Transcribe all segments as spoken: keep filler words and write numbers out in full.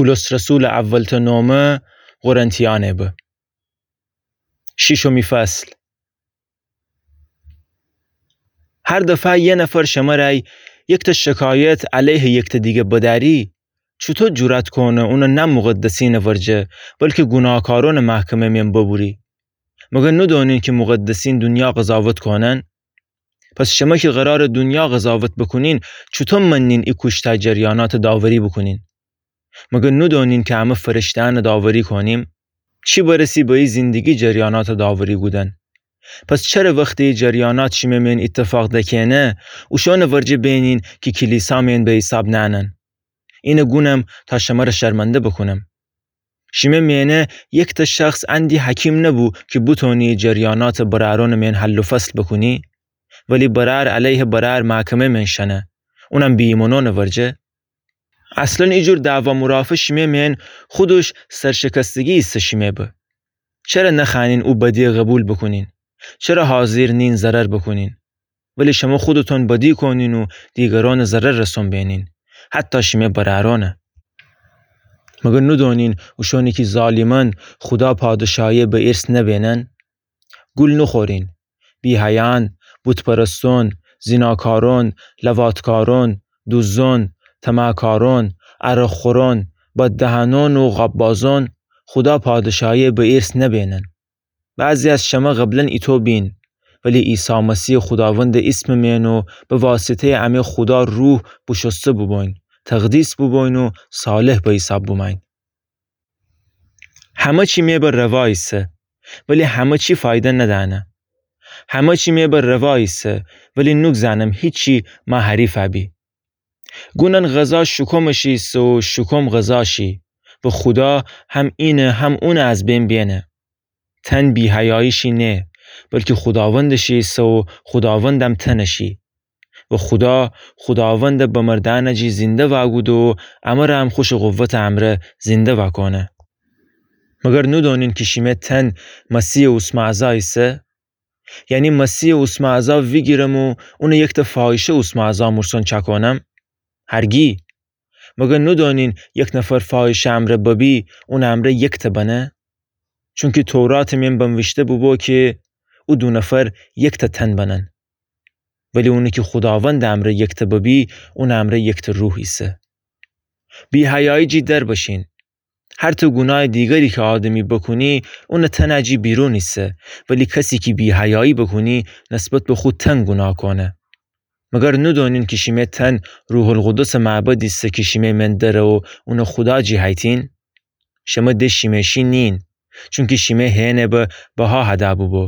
پولس رسولٚ اولتأ نامه قرنتیأنه به. شیشمی فصل. هر دفعه یه نفر شمرأ یکتأ شکایت علیه یکتأ دیگه بدأری، چوطو جرأت کونه اونٚ نه مقدسینٚ ورجه، بلکی گوناهکارونٚ محکمه مین ببوری؟ مگر ندونین کی مقدسین دونیا قضاوت کونن؟ پس شمه کی قرارٚ دونیا قضاوت بوکونین، چوطو منین ای کوشتأ جریاناتٚ داوری بوکونین؟ مگر ندونین کی امه فرشته‌یأنٚ داوری کونیم؟ چی برسی به ای زندگی جریاناتٚ داوری کودن؟ پس چره وختی ای جریانات شیمه مین ایتفاق دکه‌نه، اوشونٚ ورجه بینین کی کلیسا مین به حیساب نأنن؟ اینه گونم تا شمره شرمنده بوکونم. شیمه مینه یکتأ شخص اندی حکیم نبو کی بتونی جریاناتٚ برأرونٚ مین حل و فصل بوکونی؟ ولی برأر علیه برأر محکمه مین شنه، اونم بی‌ایمأنأنٚ ورجه. اصلاً ایجور دعوا مرافع شیمه مین خودش سرشکستگی ایسه شیمه به. چره نخوأنین او بدیه قوبیل بوکونین؟ چره حاضر نین ضرر بوکونین؟ ولی شمه خودتون بدی کونین و دیگرأنٚ ضرر رسون بینین، حتی شیمه برأرأنٚ. مگر ندونین اوشونی کی ظالمن خودا پادشاهی به ارث نبینن؟ گول نوخورین. بی‌حیایأن، بت‌پرستأن، زناکارأن، لواط‌کارأن، دوزدأن، طمع‌کارأن، عرق‌خورأن، بددهنأن و قاب‌بازأن خودا پادشاهی به ارث نبینن. بعضی از شمه قبلاً ایتو بین، ولی عیسی مسیحٚ خوداوندٚ اسمٚ مین و به واسطه‌یٚ امه خودا روح بوشوسته بوبوین، تقدیس بوبوین و صالح به حیساب بومأین. همه چی می به روا ایسه، ولی همه چی فایده ندأنه. همه چی می به روا ایسه، ولی نوک زنم هیچی مه حریف ابی. گونن غذا شکمٚ شی ایسه و شکم غذا شی. و خودا هم اینه هم اونه از بین بینه. تن بی‌حیایی شی نه، بلکی خوداوندٚ شی ایسه و خوداوندم تنٚ شی. و خودا خوداوندٚ بمردأنٚ جی زنده واکوده و امره هم خوشٚ قوتٚ امرأ زنده واکونه. مگر ندونین کی شیمه تن مسیحٚ اوسمه اعضا ایسه؟ یعنی مسیحٚ اوسمه اعضا ویگیرم و اونه یکتأ فاحشه اوسمه اعضا مورسون چأکونم؟ هرگی. مگر ندونین یک نفر فاحشه‌یٚ امرأ ببی، اونٚ امرأ یکتأ بنه؟ چونکی توراتٚ مین بنویشته بوبو کی او دو نفر یکتأ تن بنن. ولی اونی کی خوداوندٚ امرأ یکتأ ببی، اونٚ امرأ یکتأ روح ایسه. بی‌حیایی جی در بشین. هر تأ گونایٚ دیگری کی آدمی بوکونی، اونٚ تنٚ جی بیرون ایسه، ولی کسی کی بی‌حیایی بوکونی، نسبت به خو تن گوناه کونه. مگر ندونین کی شیمه تن روح‌القدسٚ معبد ایسه کی شیمه مین دره و اونٚ خودا جی هیتین؟ شمه ده شیمه شی نین، چونکی شیمه هینه به بها هده بوبو.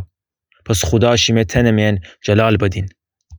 پس خودا شیمه تنٚ مین جلال بدین.